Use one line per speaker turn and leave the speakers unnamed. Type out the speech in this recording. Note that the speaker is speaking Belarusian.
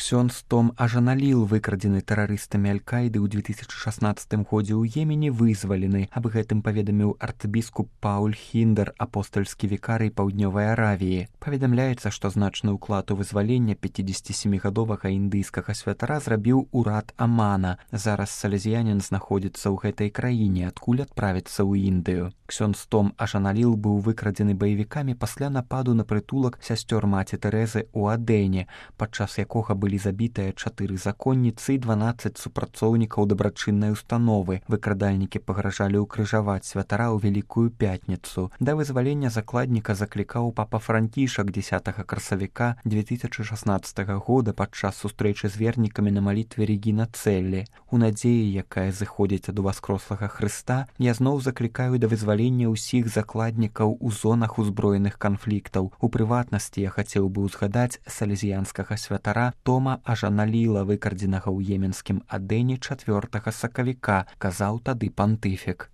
Ксёндз Том Ажаналіл, выкрадзены тэрарыстамі Аль-Каіды ў 2016 годзе ў Йемене, вызвалены. Аб гэтым паведаміў арцбіскуп Пауль Хіндер, апостальскі вікарый Паўднёвай Аравіі. Паведамляецца, што значны ўклад у вызваленне 57гадовага індыйскага святара зрабіў урад Амана. Зараз салезіянін знаходзіцца ў гэтай краіне, адкуль адправіцца ў Індыю. Ксёндз Том Ажаналіл быў выкрадзены баевікамі пасля нападу на прытулак сясцёр маці Тэрэзы ў Адэне, падчас якога былі забітыя 4 законніцы і 12 супрацоўнікаў дабрачыннай установы. Выкрадальнікі пагражалі ўкрыжаваць святара ў Вялікую пятніцу. Да вызвалення закладніка заклікаў папа Францішак 10 красавіка 2016 года падчас сустрэчы з вернікамі на малітве Регіна Цэллі. У надзеі, якая зыходзіць ад уваскрослага Хрыста, я зноў заклікаю да вызвалення ўсіх закладнікаў у зонах узброеных канфліктаў. У прыватнасці я хацеў бы ўзгадаць салезіянскага святара Тома Ажаналіла, выкрадзенага ў еменскім Адэне 4 сакавіка, казаў тады пантыфік.